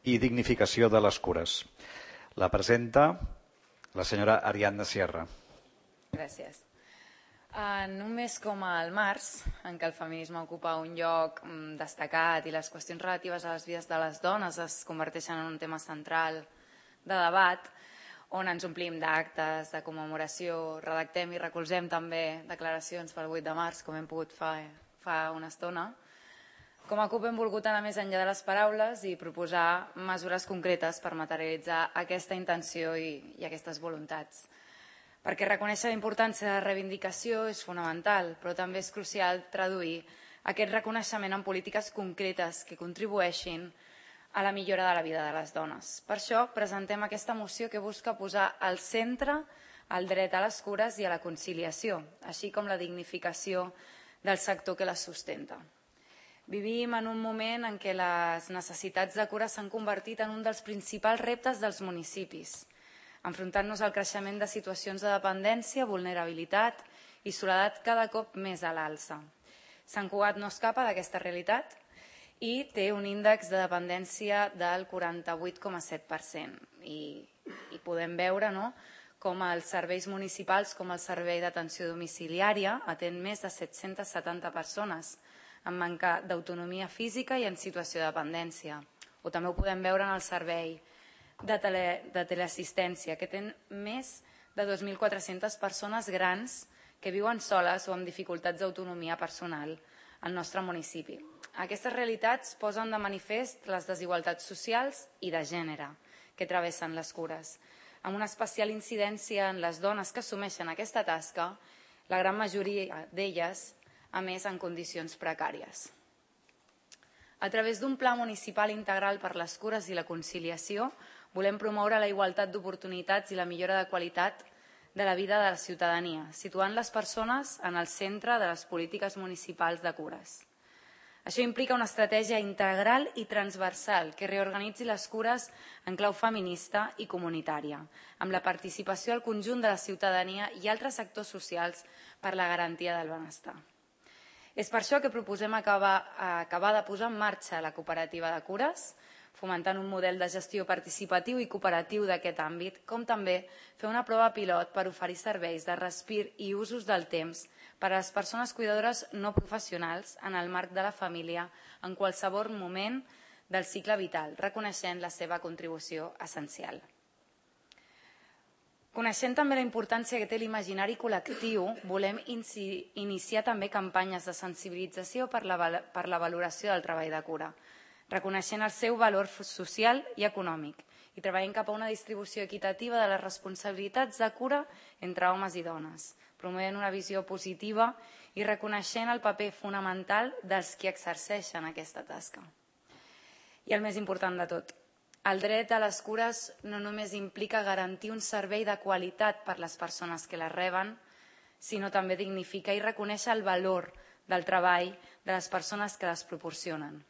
i dignificació de les cures. La presenta la senyora Ariadna Sierra. Gràcies. En un mes com el març, en què el feminisme ocupa un lloc destacat i les qüestions relatives a les vides de les dones es converteixen en un tema central de debat, on ens omplim d'actes, de commemoració, redactem i recolzem també declaracions pel 8 de març, com hem pogut fa una estona, com a CUP hem volgut anar més enllà de les paraules i proposar mesures concretes per materialitzar aquesta intenció i aquestes voluntats. Perquè reconèixer la importància de la reivindicació és fonamental, però també és crucial traduir aquest reconeixement en polítiques concretes que contribueixin a la millora de la vida de les dones. Per això presentem aquesta moció que busca posar al centre el dret a les cures i a la conciliació, així com la dignificació del sector que les sustenta. Vivim en un moment en què les necessitats de cura s'han convertit en un dels principals reptes dels municipis, enfrontant-nos al creixement de situacions de dependència, vulnerabilitat i soledat cada cop més a l'alça. Sant Cugat no escapa d'aquesta realitat i té un índex de dependència del 48,7%. I podem veure com els serveis municipals, com el servei d'atenció domiciliària, atén més de 770 persones amb manca d'autonomia física i en situació de dependència. O també ho podem veure en el servei de teleassistència, que té més de 2.400 persones grans que viuen soles o amb dificultats d'autonomia personal al nostre municipi. Aquestes realitats posen de manifest les desigualtats socials i de gènere que travessen les cures, amb una especial incidència en les dones que assumeixen aquesta tasca, la gran majoria d'elles, a més, en condicions precàries. A través d'un pla municipal integral per les cures i la conciliació, volem promoure la igualtat d'oportunitats i la millora de qualitat de la vida de la ciutadania, situant les persones en el centre de les polítiques municipals de cures. Això implica una estratègia integral i transversal que reorganitzi les cures en clau feminista i comunitària, amb la participació al conjunt de la ciutadania i altres sectors socials per la garantia del benestar. És per això que proposem acabar de posar en marxa la cooperativa de cures, fomentant un model de gestió participatiu i cooperatiu d'aquest àmbit, com també fer una prova pilot per oferir serveis de respir i usos del temps per a les persones cuidadores no professionals en el marc de la família en qualsevol moment del cicle vital, reconeixent la seva contribució essencial. Coneixent també la importància que té l'imaginari col·lectiu, volem iniciar també campanyes de sensibilització per la valoració del treball de cura, reconeixent el seu valor social i econòmic i treballant cap a una distribució equitativa de les responsabilitats de cura entre homes i dones, promovent una visió positiva i reconeixent el paper fonamental dels qui exerceixen aquesta tasca. I el més important de tot, el dret a les cures no només implica garantir un servei de qualitat per a les persones que les reben, sinó també dignificar i reconèixer el valor del treball de les persones que les proporcionen.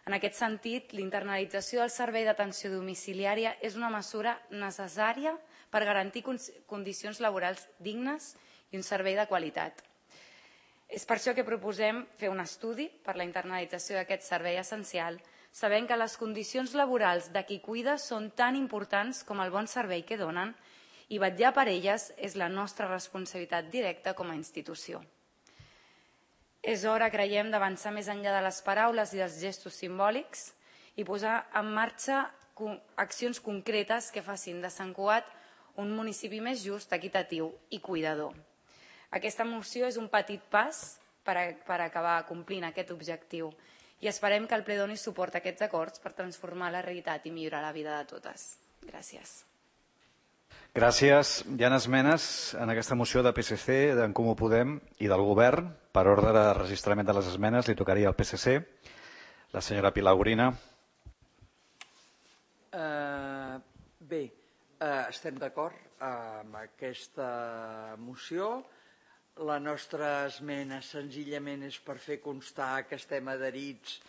En aquest sentit, l'internalització del servei d'atenció domiciliària és una mesura necessària per garantir condicions laborals dignes i un servei de qualitat. És per això que proposem fer un estudi per la internalització d'aquest servei essencial, sabent que les condicions laborals de qui cuida són tan importants com el bon servei que donen i vetllar per elles és la nostra responsabilitat directa com a institució. És hora, creiem, d'avançar més enllà de les paraules i dels gestos simbòlics i posar en marxa accions concretes que facin de Sant Cugat un municipi més just, equitatiu i cuidador. Aquesta moció és un petit pas per acabar complint aquest objectiu i esperem que el ple doni suport a aquests acords per transformar la realitat i millorar la vida de totes. Gràcies. Gràcies. Hi ha esmenes en aquesta moció de PSC, d'en Comú Podem i del Govern. Per ordre de registrament de les esmenes li tocaria al PSC. La senyora Pilar Gorina. Bé, estem d'acord amb aquesta moció. La nostra esmena senzillament és per fer constar que estem adherits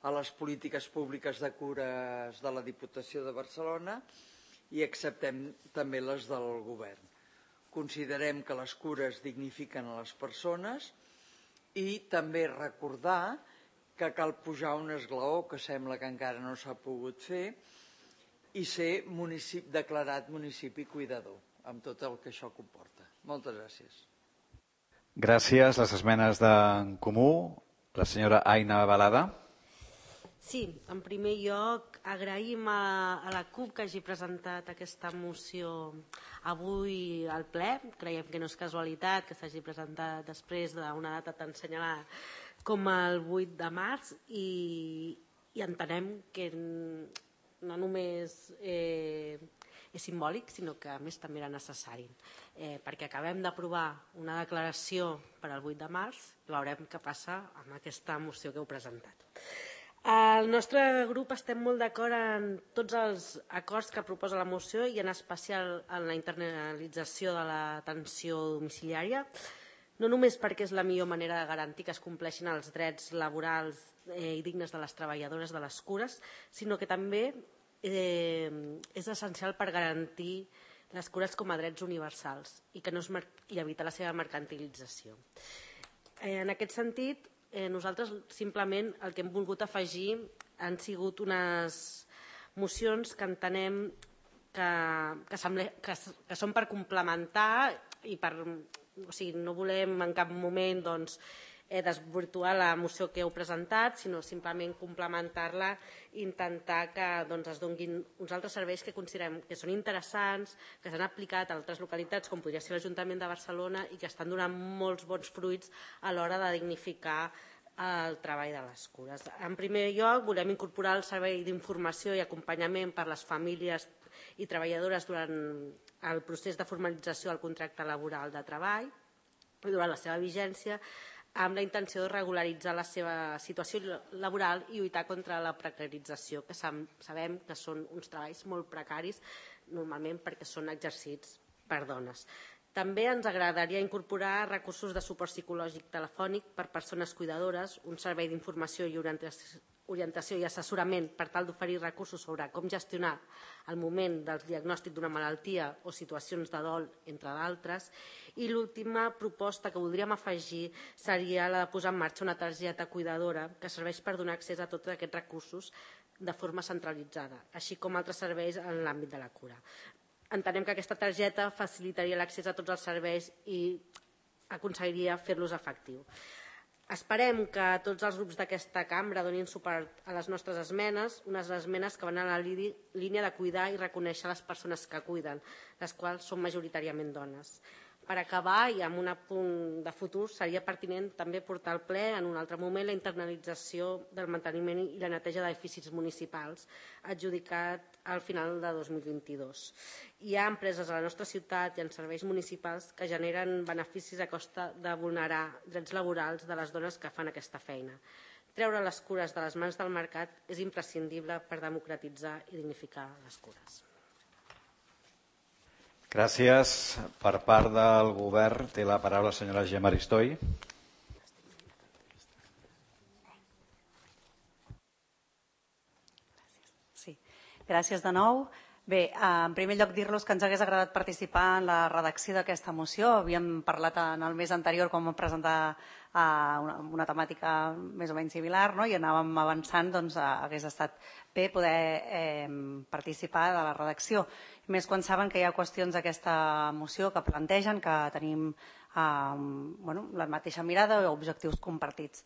a les polítiques públiques de cures de la Diputació de Barcelona i acceptem també les del Govern. Considerem que les cures dignifiquen a les persones i també recordar que cal pujar un esglaó, que sembla que encara no s'ha pogut fer, i ser declarat municipi cuidador, amb tot el que això comporta. Moltes gràcies. Gràcies. Les esmenes d'en Comú. La senyora Aina Balada. Sí, en primer lloc agraïm a la CUP que hagi presentat aquesta moció avui al ple. Creiem que no és casualitat que s'hagi presentat després d'una data tan assenyalada com el 8 de març i entenem que no només és simbòlic, sinó que a més també era necessari, perquè acabem d'aprovar una declaració per al 8 de març i veurem què passa amb aquesta moció que heu presentat. El nostre grup estem molt d'acord en tots els acords que proposa la moció i en especial en la internalització de l'atenció domiciliària, no només perquè és la millor manera de garantir que es compleixin els drets laborals i dignes de les treballadores de les cures, sinó que també és essencial per garantir les cures com a drets universals i evitar la seva mercantilització. En aquest sentit, nosaltres simplement el que hem volgut afegir han sigut unes mocions que entenem que són per complementar i no volem en cap moment desvirtuar la moció que heu presentat, sinó simplement complementar-la i intentar que es donin uns altres serveis que considerem que són interessants, que s'han aplicat a altres localitats, com podria ser l'Ajuntament de Barcelona, i que estan donant molts bons fruits a l'hora de dignificar el treball de les cures. En primer lloc, volem incorporar el servei d'informació i acompanyament per a les famílies i treballadores durant el procés de formalització del contracte laboral de treball i durant la seva vigència, amb la intenció de regularitzar la seva situació laboral i lluitar contra la precarització, que sabem que són uns treballs molt precaris, normalment perquè són exercits per dones. També ens agradaria incorporar recursos de suport psicològic telefònic per persones cuidadores, un servei d'informació i orientació i assessorament per tal d'oferir recursos sobre com gestionar el moment del diagnòstic d'una malaltia o situacions de dol, entre d'altres. I l'última proposta que voldríem afegir seria la de posar en marxa una targeta cuidadora que serveix per donar accés a tots aquests recursos de forma centralitzada, així com altres serveis en l'àmbit de la cura. Entenem que aquesta targeta facilitaria l'accés a tots els serveis i aconseguiria fer-los efectius. Esperem que tots els grups d'aquesta cambra donin suport a les nostres esmenes, unes esmenes que van en la línia de cuidar i reconèixer les persones que cuiden, les quals són majoritàriament dones. Per acabar, i amb un apunt de futur, seria pertinent també portar al ple en un altre moment la internalització del manteniment i la neteja d'edificis municipals, adjudicat al final de 2022. Hi ha empreses a la nostra ciutat i en serveis municipals que generen beneficis a costa de vulnerar drets laborals de les dones que fan aquesta feina. Treure les cures de les mans del mercat és imprescindible per democratitzar i dignificar les cures. Gràcies. Per part del govern té la paraula la senyora Gemma Aristoi. Sí. Gràcies de nou. Bé, en primer lloc dir-los que ens hagués agradat participar en la redacció d'aquesta moció. Havíem parlat en el mes anterior quan vam presentar una temàtica més o menys similar, no? I anàvem avançant, doncs hagués estat bé poder participar de la redacció. Més quan saben que hi ha qüestions d'aquesta moció que plantegen, que tenim la mateixa mirada o objectius compartits.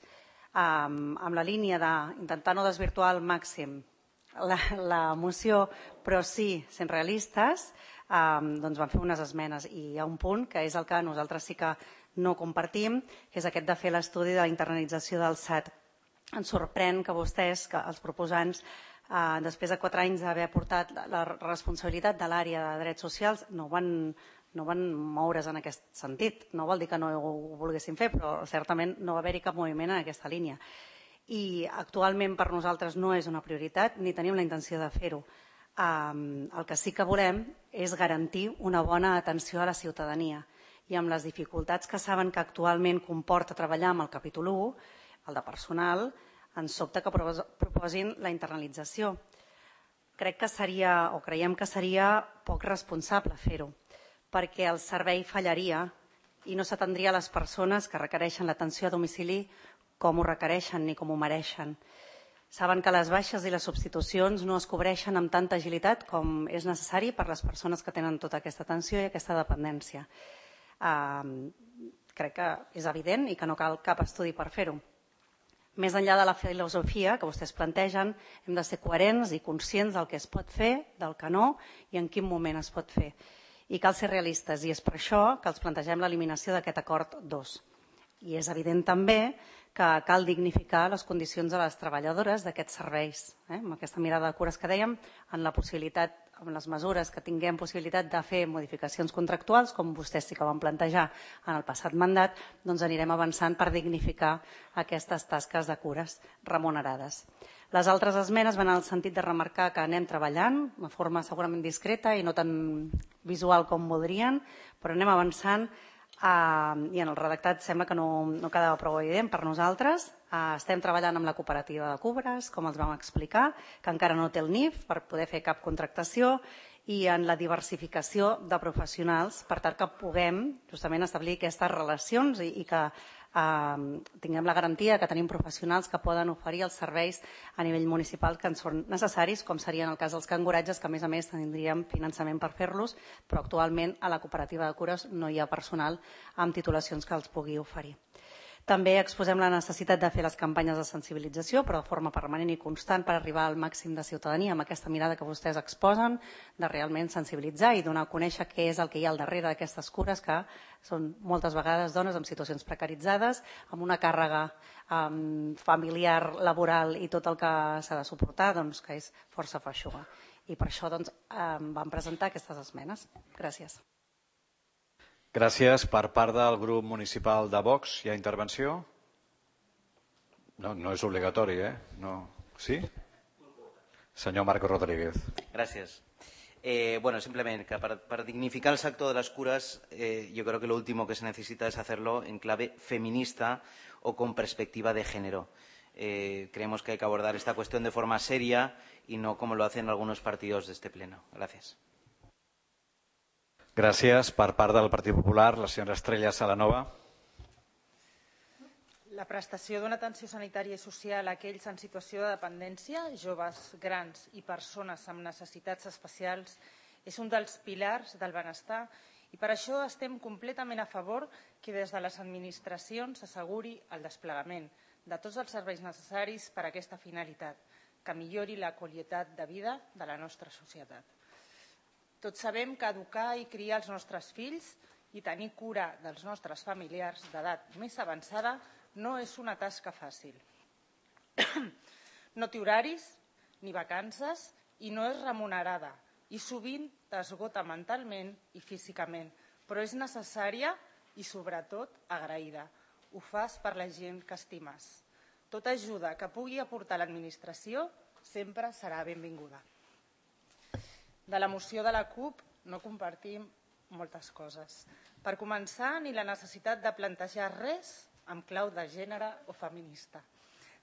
Amb la línia d'intentar no desvirtuar al màxim la moció, però sí sent realistes, doncs van fer unes esmenes i hi ha un punt que és el que nosaltres sí que no compartim, que és aquest de fer l'estudi de la internalització del SAT. Ens sorprèn que vostès, que els proposants, després de 4 anys d'haver aportat la responsabilitat de l'àrea de drets socials, no van moure's en aquest sentit. No vol dir que no ho volguessin fer, però certament no va haver-hi cap moviment en aquesta línia. I actualment per nosaltres no és una prioritat ni tenim la intenció de fer-ho. El que sí que volem és garantir una bona atenció a la ciutadania i amb les dificultats que saben que actualment comporta treballar amb el capítol 1, el de personal, ens sobta que proposin la internalització. Crec que seria, o creiem que seria poc responsable fer-ho, perquè el servei fallaria i no s'atendria a les persones que requereixen l'atenció a domicili com ho requereixen ni com ho mereixen. Saben que les baixes i les substitucions no es cobreixen amb tanta agilitat com és necessari per les persones que tenen tota aquesta atenció i aquesta dependència. Crec que és evident i que no cal cap estudi per fer-ho. Més enllà de la filosofia que vostès plantegen, hem de ser coherents i conscients del que es pot fer, del que no i en quin moment es pot fer. I cal ser realistes i és per això que els plantegem l'eliminació d'aquest acord 2. I és evident també que cal dignificar les condicions de les treballadores d'aquests serveis. Amb aquesta mirada de cures que dèiem, en la possibilitat, amb les mesures que tinguem possibilitat de fer modificacions contractuals, com vostès sí que van plantejar en el passat mandat, doncs anirem avançant per dignificar aquestes tasques de cures remunerades. Les altres esmenes van en el sentit de remarcar que anem treballant de forma segurament discreta i no tan visual com voldrien, però anem avançant i en el redactat sembla que no quedava prou evident per nosaltres. Estem treballant amb la cooperativa de Cubres, com els vam explicar, que encara no té el NIF per poder fer cap contractació, i en la diversificació de professionals per tal que puguem justament establir aquestes relacions i que tinguem la garantia que tenim professionals que poden oferir els serveis a nivell municipal que ens són necessaris, com seria en el cas dels canguratges, que a més tindríem finançament per fer-los, però actualment a la cooperativa de cures no hi ha personal amb titulacions que els pugui oferir. També exposem la necessitat de fer les campanyes de sensibilització, però de forma permanent i constant per arribar al màxim de ciutadania amb aquesta mirada que vostès exposen, de realment sensibilitzar i donar a conèixer què és el que hi ha al darrere d'aquestes cures, que són moltes vegades dones en situacions precaritzades, amb una càrrega familiar, laboral i tot el que s'ha de suportar, que és força feixuga. I per això vam presentar aquestes esmenes. Gràcies. Gràcies. Per part del grup municipal de Vox, hi ha intervenció? No és obligatori, No. ¿Sí? Senyor Marco Rodríguez. Gracias. Simplemente para dignificar el sector de las curas, yo creo que lo último que se necesita es hacerlo en clave feminista o con perspectiva de género. Creemos que hay que abordar esta cuestión de forma seria y no como lo hacen algunos partidos de este pleno. Gracias. Gràcies. Per part del Partit Popular, la senyora Estrella Salanova. La prestació d'una atenció sanitària i social a aquells en situació de dependència, joves, grans i persones amb necessitats especials, és un dels pilars del benestar i per això estem completament a favor que des de les administracions s'asseguri el desplegament de tots els serveis necessaris per a aquesta finalitat, que millori la qualitat de vida de la nostra societat. Tots sabem que educar i criar els nostres fills i tenir cura dels nostres familiars d'edat més avançada no és una tasca fàcil. No té horaris ni vacances i no és remunerada i sovint t'esgota mentalment i físicament, però és necessària i sobretot agraïda. Ho fas per la gent que estimes. Tota ajuda que pugui aportar l'administració sempre serà benvinguda. De la moció de la CUP no compartim moltes coses. Per començar, ni la necessitat de plantejar res amb clau de gènere o feminista.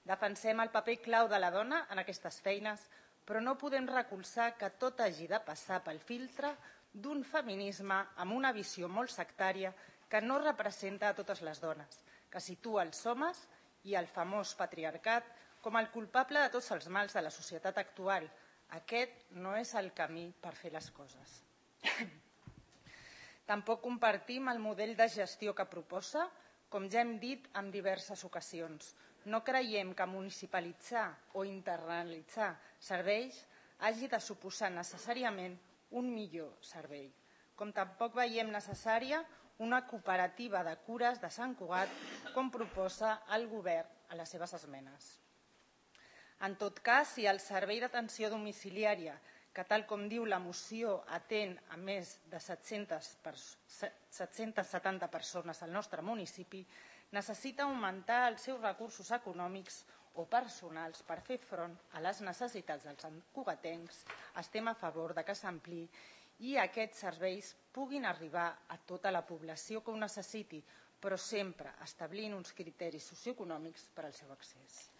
Defensem el paper clau de la dona en aquestes feines, però no podem recolzar que tot hagi de passar pel filtre d'un feminisme amb una visió molt sectària que no representa a totes les dones, que situa els homes i el famós patriarcat com el culpable de tots els mals de la societat actual. Aquest no és el camí per fer les coses. Tampoc compartim el model de gestió que proposa, com ja hem dit en diverses ocasions. No creiem que municipalitzar o internalitzar serveis hagi de suposar necessàriament un millor servei, com tampoc veiem necessària una cooperativa de cures de Sant Cugat, com proposa el govern a les seves esmenes. En tot cas, si el servei d'atenció domiciliària, que tal com diu la moció atén a més de 770 persones al nostre municipi, necessita augmentar els seus recursos econòmics o personals per fer front a les necessitats dels santcugatencs, estem a favor que s'ampliï i aquests serveis puguin arribar a tota la població que ho necessiti, però sempre establint uns criteris socioeconòmics per al seu accés.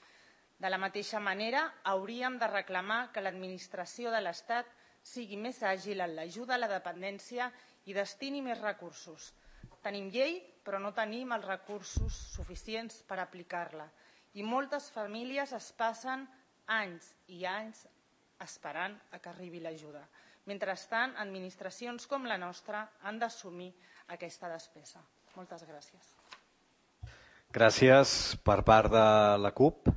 De la mateixa manera, hauríem de reclamar que l'administració de l'Estat sigui més àgil en l'ajuda a la dependència i destini més recursos. Tenim llei, però no tenim els recursos suficients per aplicar-la. i moltes famílies es passen anys i anys esperant a que arribi l'ajuda. Mentrestant, administracions com la nostra han d'assumir aquesta despesa. Moltes gràcies. Gràcies per part de la CUP.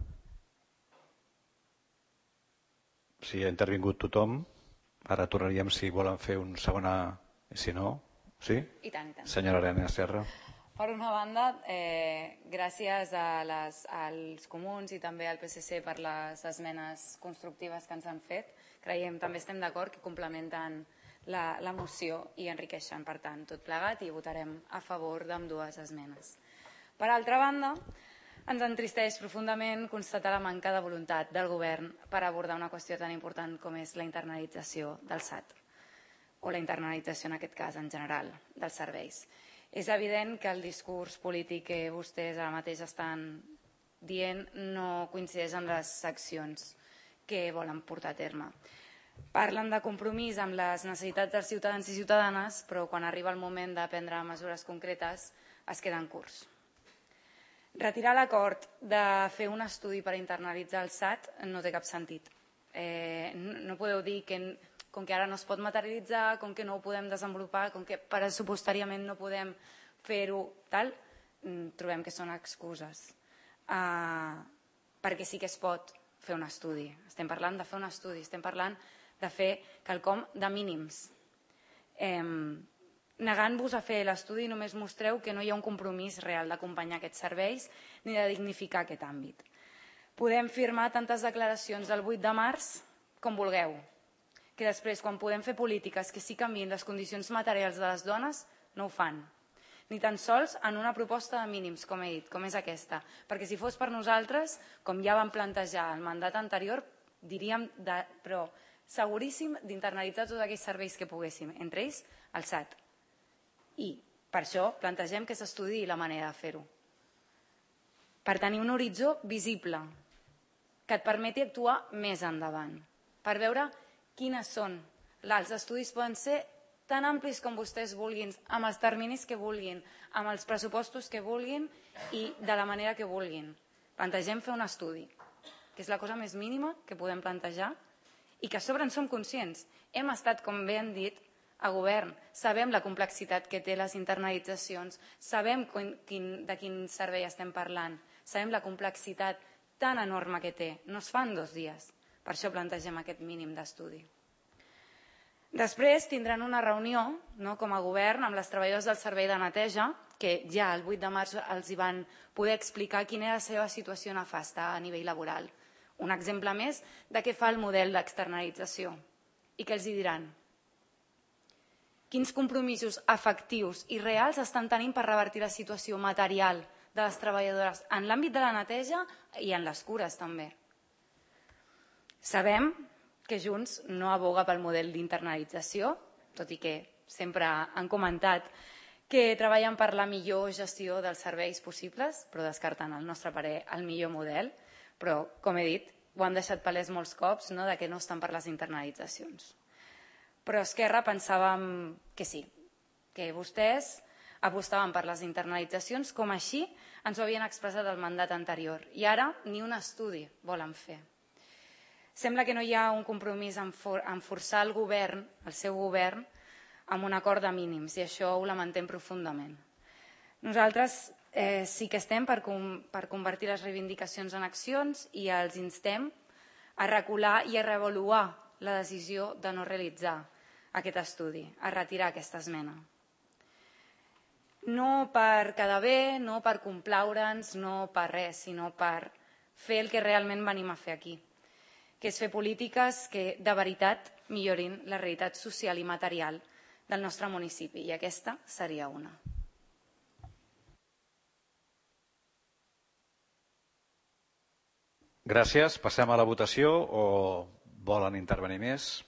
Si ha intervingut tothom, ara tornaríem si volen fer un segona... Si no, sí? I tant, i tant. Senyora Arena Serra. Per una banda, gràcies als comuns i també al PSC per les esmenes constructives que ens han fet. Creiem, també estem d'acord que complementen la moció i enriqueixen, per tant, tot plegat, i votarem a favor d'ambdues esmenes. Per altra banda, ens entristeix profundament constatar la manca de voluntat del govern per abordar una qüestió tan important com és la internalització del SAT, o la internalització, en aquest cas, en general, dels serveis. És evident que el discurs polític que vostès ara mateix estan dient no coincideix amb les accions que volen portar a terme. Parlen de compromís amb les necessitats dels ciutadans i ciutadanes, però quan arriba el moment de prendre mesures concretes es queden curts. Retirar l'acord de fer un estudi per internalitzar el SAT no té cap sentit. No podeu dir que com que ara no es pot materialitzar, com que no ho podem desenvolupar, com que pressupostàriament no podem fer-ho tal, trobem que són excuses. Perquè sí que es pot fer un estudi. Estem parlant de fer un estudi, estem parlant de fer quelcom de mínims. Negant-vos a fer l'estudi només mostreu que no hi ha un compromís real d'acompanyar aquests serveis ni de dignificar aquest àmbit. Podem firmar tantes declaracions del 8 de març com vulgueu, que després, quan podem fer polítiques que sí canviïn les condicions materials de les dones, no ho fan. Ni tan sols en una proposta de mínims, com he dit, com és aquesta. Perquè si fos per nosaltres, com ja vam plantejar el mandat anterior, diríem, però seguríssim, d'internalitzar tots aquells serveis que poguéssim, entre ells el SAT. I per això plantegem que s'estudiï la manera de fer-ho. Per tenir un horitzó visible, que et permeti actuar més endavant, per veure quines són. Els estudis poden ser tan amplis com vostès vulguin, amb els terminis que vulguin, amb els pressupostos que vulguin i de la manera que vulguin. Plantegem fer un estudi, que és la cosa més mínima que podem plantejar i que a sobre en som conscients. Hem estat, com bé han dit, a govern. Sabem la complexitat que té les internalitzacions, sabem de quin servei estem parlant, sabem la complexitat tan enorme que té. No es fa en 2 dies. Per això plantegem aquest mínim d'estudi. Després tindran una reunió com a govern amb les treballadors del servei de neteja, que ja el 8 de març els hi van poder explicar quina era la seva situació nefasta a nivell laboral. Un exemple més de què fa el model d'externalització. I què els hi diran? Quins compromisos efectius i reals estan tenint per revertir la situació material de les treballadores en l'àmbit de la neteja i en les cures també. Sabem que Junts no aboga pel model d'internalització, tot i que sempre han comentat que treballen per la millor gestió dels serveis possibles, però descartant, al nostre parer, el millor model. Però, com he dit, ho han deixat palès molts cops, de que no estan per les internalitzacions. Però Esquerra pensàvem que sí, que vostès apostaven per les internalitzacions, com així ens ho havien expressat al mandat anterior. I ara ni un estudi volen fer. Sembla que no hi ha un compromís en forçar el govern, el seu govern, amb un acord de mínims, i això ho lamentem profundament. Nosaltres sí que estem per convertir les reivindicacions en accions i els instem a recular i a reavaluar la decisió de no realitzar aquest estudi, a retirar aquesta esmena. No per quedar bé, no per complaure'ns, no per res, sinó per fer el que realment venim a fer aquí, que és fer polítiques que de veritat millorin la realitat social i material del nostre municipi, i aquesta seria una. Gràcies. Passem a la votació o volen intervenir més?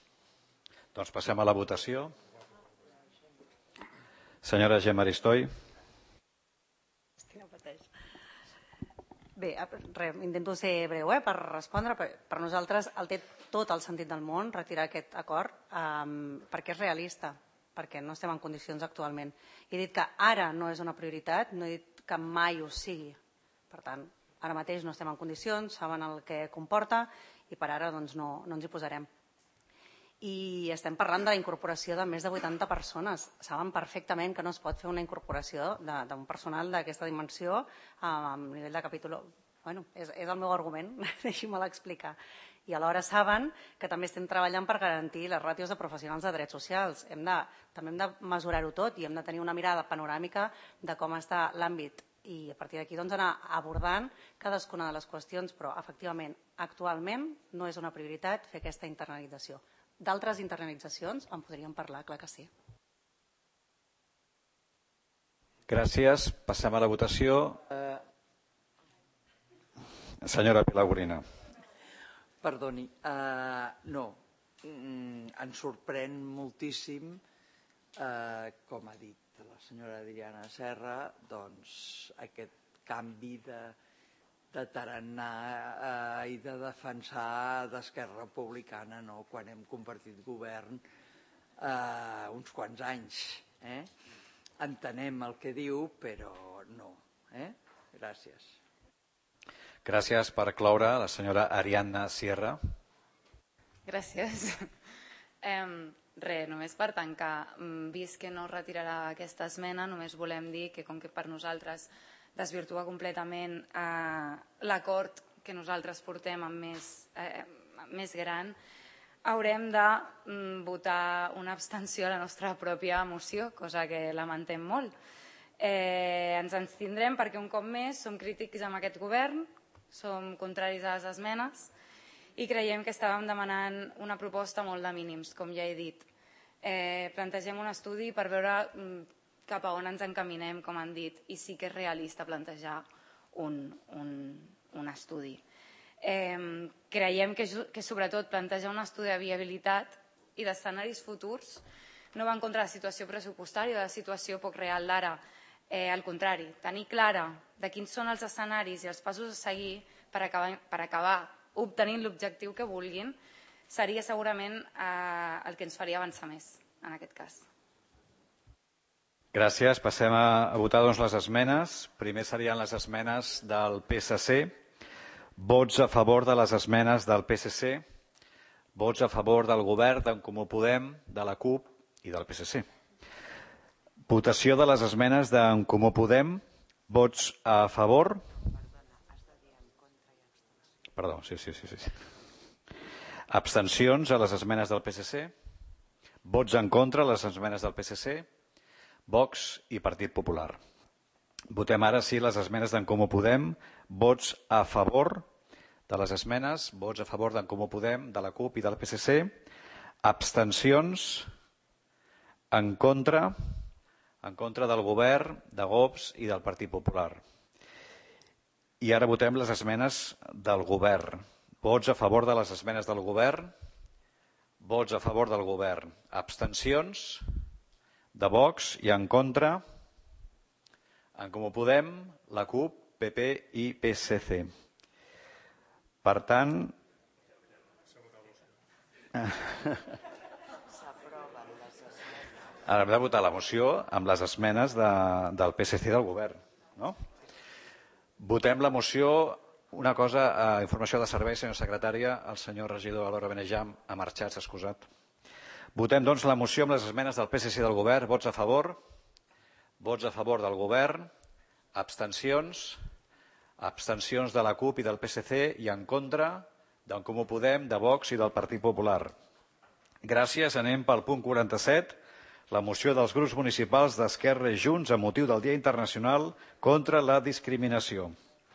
Doncs passem a la votació. Senyora Gemma Aristoi. Bé, intento ser breu per respondre. Per nosaltres té tot el sentit del món retirar aquest acord perquè és realista, perquè no estem en condicions actualment. He dit que ara no és una prioritat, no he dit que mai ho sigui. Per tant, Ara mateix no estem en condicions, saben el que comporta i per ara doncs, no ens hi posarem. I estem parlant de la incorporació de més de 80 persones. Saben perfectament que no es pot fer una incorporació d'un personal d'aquesta dimensió a nivell de capítol. Bueno, és el meu argument, deixi-me'l explicar. I alhora saben que també estem treballant per garantir les ràtios de professionals de drets socials. També hem de mesurar-ho tot i hem de tenir una mirada panoràmica de com està l'àmbit i a partir d'aquí anar abordant cadascuna de les qüestions, però efectivament, actualment no és una prioritat fer aquesta internalització. D'altres internalitzacions en podríem parlar, clar que sí. Gràcies. Passem a la votació. Senyora Pilar. Perdoni, no. Ens sorprèn moltíssim, com ha dit la senyora Adriana Serra, doncs aquest canvi de tarannà i de defensar d'Esquerra Republicana quan hem compartit govern uns quants anys. Entenem el que diu, però no. Gràcies. Gràcies. Per cloure, la senyora Ariadna Sierra. Gràcies. Només per tancar, vist que no retirarà aquesta esmena, només volem dir que com que per nosaltres desvirtua completament l'acord que nosaltres portem amb més gran, haurem de votar una abstenció a la nostra pròpia moció, cosa que lamentem molt. Ens abstindrem perquè un cop més som crítics amb aquest govern, som contraris a les esmenes i creiem que estàvem demanant una proposta molt de mínims, com ja he dit. Plantegem un estudi per veure cap a on ens encaminem, com han dit, i sí que és realista plantejar un estudi. Creiem que sobretot plantejar un estudi de viabilitat i d'escenaris futurs no va en contra de la situació pressupostària o de la situació poc real d'ara. Al contrari, tenir clara de quins són els escenaris i els passos a seguir per acabar obtenint l'objectiu que vulguin seria segurament el que ens faria avançar més en aquest cas. Gràcies. Passem a votar les esmenes. Primer serien les esmenes del PSC. Vots a favor de les esmenes del PSC. Vots a favor del govern, d'en Comú Podem, de la CUP i del PSC. Votació de les esmenes d'en Comú Podem. Vots a favor. Perdó, sí. Abstencions a les esmenes del PSC. Vots en contra a les esmenes del PSC. Vox i Partit Popular. Votem ara sí les esmenes d'en Comú Podem. Vots a favor de les esmenes. Vots a favor d'en Comú Podem, de la CUP i del PSC. Abstencions en contra del govern, de Vox i del Partit Popular. I ara votem les esmenes del govern. Vots a favor de les esmenes del govern. Vots a favor del govern. Abstencions de Vox i en contra en Comú Podem, la CUP, PP i PSC. Per tant, ara hem de votar la moció amb les esmenes del PSC i del govern. No? Votem la moció. Una cosa, informació de servei, senyora secretària, el senyor regidor Alora Benejam ha marxat, s'ha excusat. Votem, doncs, la moció amb les esmenes del PSC i del govern. Vots a favor. Vots a favor del govern. Abstencions. Abstencions de la CUP i del PSC i en contra d'en Comú Podem, de Vox i del Partit Popular. Gràcies. Anem pel punt 47. La moció dels grups municipals d'Esquerra i Junts amb motiu del Dia Internacional contra la Discriminació.